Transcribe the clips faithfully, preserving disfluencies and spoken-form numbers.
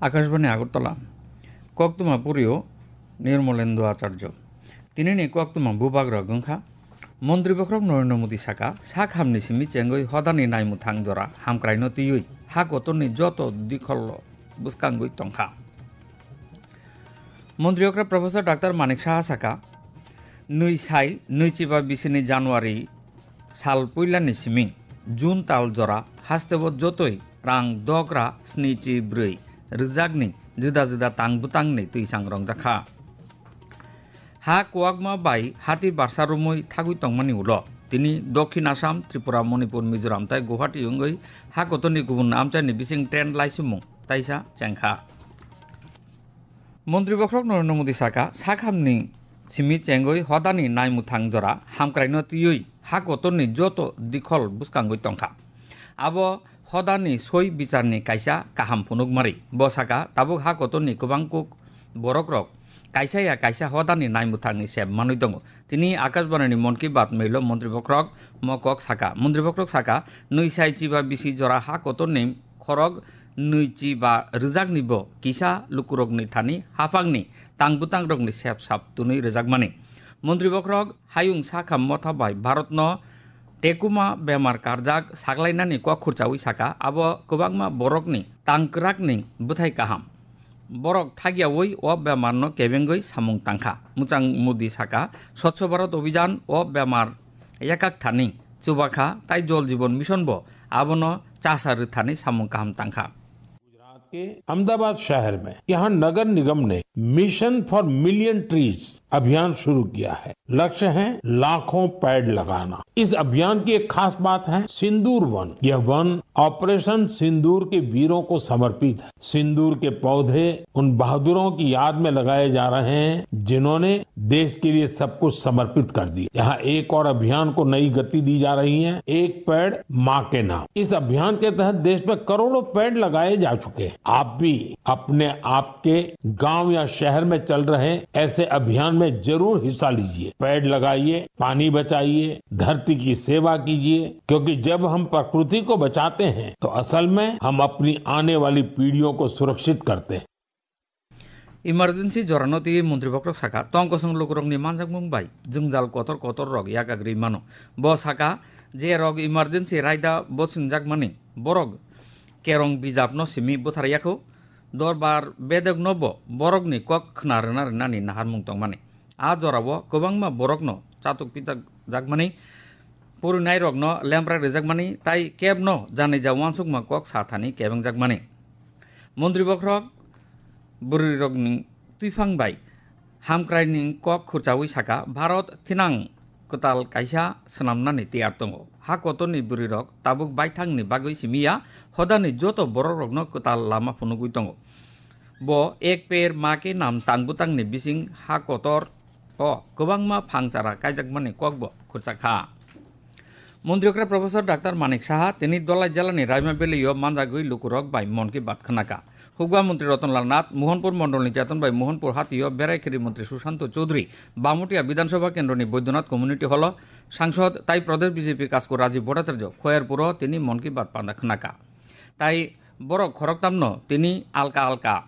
Akashbani Agartala, Koktwma Purio Nirmolendo Acharjo. Tinini koktwma bubagrok wngkha, Montri Bokhorok Narendra Modi saka, sak hamni simi chengwi hodani naimwthang jora hamkraino twiwi ha kotorni joto dikholo bwskangwi tongkha. Montri okra Professor Doctor Manik Saha saka, nwi sai nwichiba bisini January sal puilani simi June tal jora hasteo jotoi rang dogra snichi bwrwi rwjakni juda juda tang bwtangni twisang rongjakha. Ha kwbangma bai hati barsa romwi thagwi tongmani ulo tini Dokhin Assam, Tripura, Manipur, Mizoram tei Guwahati wngwi ha kotorni kubun amchaini bising trend laisimung taisa chengkha. Montri Bokhorok Narendra Modi saka, sakhamni simi chengwi hodani naimwthang jora hamkraino twiwi ha kotorni joto dikhol bwskangwi tongkha. Abo hodani soi bicharni kaisa kaham phunukmari. Bo saka, tabuk ha kotorni kwbang kuk borokrok kaisa ya kaisa hodani naimwthangni sep manwi tongo. Tini Akashbanini Mon Ki Baat mailo Montri Bokhorok mo kok saka. Montri Bokhorok saka, nwi sai chiba bisi jora ha kotorni khorok nwichi ba rwjakni bo kisa lukurokni thani haphangni tang bwtangrokni sep sap twnwi rwjakmani. Montri Bokhorok hayung sakha motha bai Bharatno tekuma bemar karjak saklainani kok khurchawi saka, abo kwbangma borokni tang kwrakni bwthai kaham. Borok thagyawi o bemarno kebengwi samung tangkha. Mwchang Modi saka, Swachh Bharat Abhijan o bemar yakak thani chubakha, tai Jol Jeevan Mission bo abono chasa rwthani samung kaham tangkha. Gujarat के अहमदाबाद शहर में यहाँ नगर निगम ने mission for million trees अभियान शुरू किया है। लक्ष्य है लाखों पेड़ लगाना। इस अभियान की एक खास बात है सिंदूर वन। यह वन ऑपरेशन सिंदूर के वीरों को समर्पित है। सिंदूर के पौधे उन बहादुरों की याद में लगाए जा रहे हैं, जिन्होंने देश के लिए सब कुछ समर्पित कर दिया। यहाँ एक और अभियान को नई गति दी जा रही है, एक पेड़ माँ के नाम। इस अभियान के तहत देश में करोड़ों पेड़ लगाए जा चुके हैं। आप भी अपने आप के गांव या शहर में चल रहे ऐसे अभियान में जरूर हिस्सा लीजिए। पेड़ लगाइए, पानी बचाइए, धरती की सेवा कीजिए, क्योंकि जब हम प्रकृति को बचाते हैं, तो असल में हम अपनी आने वाली पीढ़ियों को सुरक्षित करते हैं। Emergency jorano twiwi Montri Bokhorok saka, tong kosong lukurokni manjakmung bai jwngjal kotor kotor rok yakagri mano. Bo saka, je rok emergency raida bo swngjak mani, borok kerong bijapno simi bwthar yakho, dorbar bedekno bo borokni kok khna rwna rwnani naharmung tongmani. A jorao kwbangma borokno chatuk pitak jakmani, purinairokno lempra rijakmani tai kebno janija uansukma kok sa thani kebengjakmani. Montri Bokhorok bwrwirokni twiphang bai hamkraini kok khurchawi saka, Bharat thinang kwtal kaisa swnamnani tiyar tongo. Ha kotorni bwrwirok tabuk baithangni bagwi simi ya, hodani joto borokrokno kwtal lama phunugwi tongo. Bo Ek Ped Maa Ke Naam tang bwtangni bising ha kotor o kwbangma phangchara kaijakmani kokbo khurchakha. Montri okra Professor Doctor Manik Saha tini Dolai jalani Raima Valley o manjagwi lukurok bai Mon Ki Baat khwnakha. Hukba Montri Ratan Lal Nath, Mohanpur Mondolni Cheton bai Mohanpur Hatio, Berai Kheri Montri Sushanto Chaudhary, Bamutia Bidhan Sabha Kendroni Baidyanath Community Hall o Sangsod tai Pradesh B J P Kasku Rajiv Bhattacharya, Khoyerpur o tini Mon Ki Baat panda khwnakha. Tai borok khoroktamno tini alka alka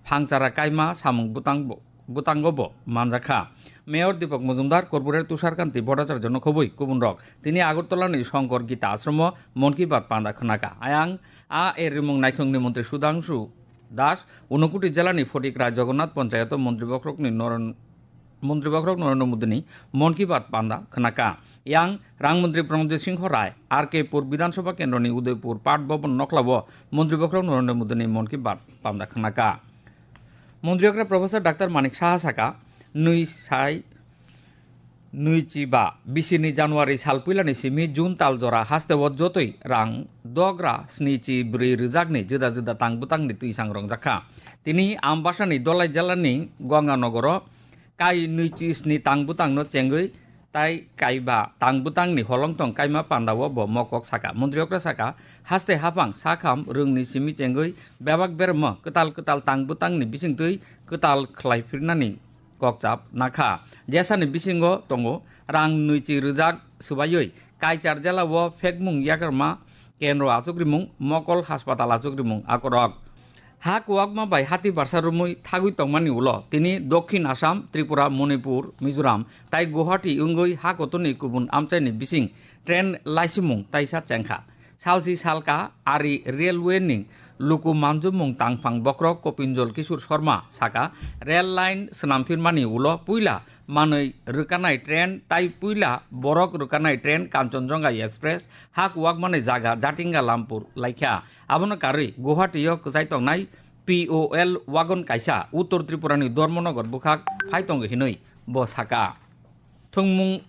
phangchara kaima samung bwtang bo, bwtango bo manjakha. Mayor Deepak Majumdar, Corporator Tushar Kanti Bhattacharya no khobwi kubunrok tini Agartala ni Shankar Gita Ashram o Mon Ki Baat panda khwnakha. Ayang a er rimung naikhungni montri Sudhanshu Das, Unakoti jilani Photikra Jagannath Panchayat o Montri Bokhorokni Noren-, Montri Bokhorok Narendra Modi ni Mon Ki Baat panda khwnakha. Yang Rang Montri Pradyot Singh Rai, R K Pur Bidhan Sabha Kendroni Udaipur Pat Bhavan Nokla o Montri Bokhorok Narendra Modi ni Mon Ki Baat panda khwnakha. Montri okra Professor Doctor Manik Saha saka, nwi sai nwichi ba bisini January sal puilani simi June tal jora hasteo jotoi rang dogra snichi bwrwi rwjakni juda juda tang bwtangni twisang rongjakha. Tini Ambasani Dolai jalani Ganga Nogoro kai nwichi sni tang bwtangno chengwi tai kaiba tang bwtangni holongtong kaima pandao bo mokok saka. Montri okra saka, haste haphang sakham rwngni simi chengwi bebak bermo kwtal kwtal tang bwtangni bisingtwi kwtal khlai phirnani kokchap nakha. Jesani bisingo tongo rang nwichi rwjak swbaiwi Kaichar jela o phekmung yakarma kendro achukrimung, mokol haspatal achukrimung akorok. Ha kuwakma bai hati barsa rumwi thagwi tongmani ulo tini Dokhin Assam, Tripura, Manipur, Mizoram tai Guwahati wngwi ha kotorni kubun amchaini bising train laisimung taisa chengkha. Salsi salka ari railway ni luku manjumung tangphang bokhorok Kopinjol Kishore Sharma saka, rail line swnamphirmani ulo puila manwi rwkanai train tai puila borok rwkanai train Kanchanjunga Express ha kuwakmani jaga Jatinga Lampur laikha. Abono karwi Guwahati o kwchai tongnai P O L wagon kaisa Uttor Tripura ni Dharmanagar bwkhak phai tongo hinwi bo saka. Thwngmung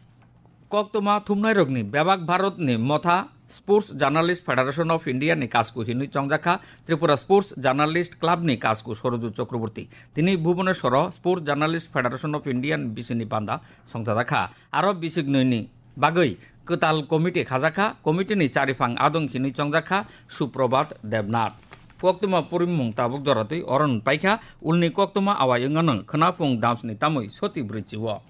koktwma thumnairokni bebak Bharatni motha Sports Journalist Federation of India ni kasku hinwi chongjakha Tripura Sports Journalist Club ni kasku Soroju Chakraborty. Tini Bhubaneswaro Sports Journalist Federation of India ni bisini panda songchajakha. Aro bisik nwi ni bagwi kwtal committee khajakha, committee ni chariphang adong hinwi chongjakha Suprabhat Debnath. Koktwma purimung tabuk joratwi oron paikha, ulni koktwma awai wngano khwnaphung damsni tamwi soti bwrwi chiwo.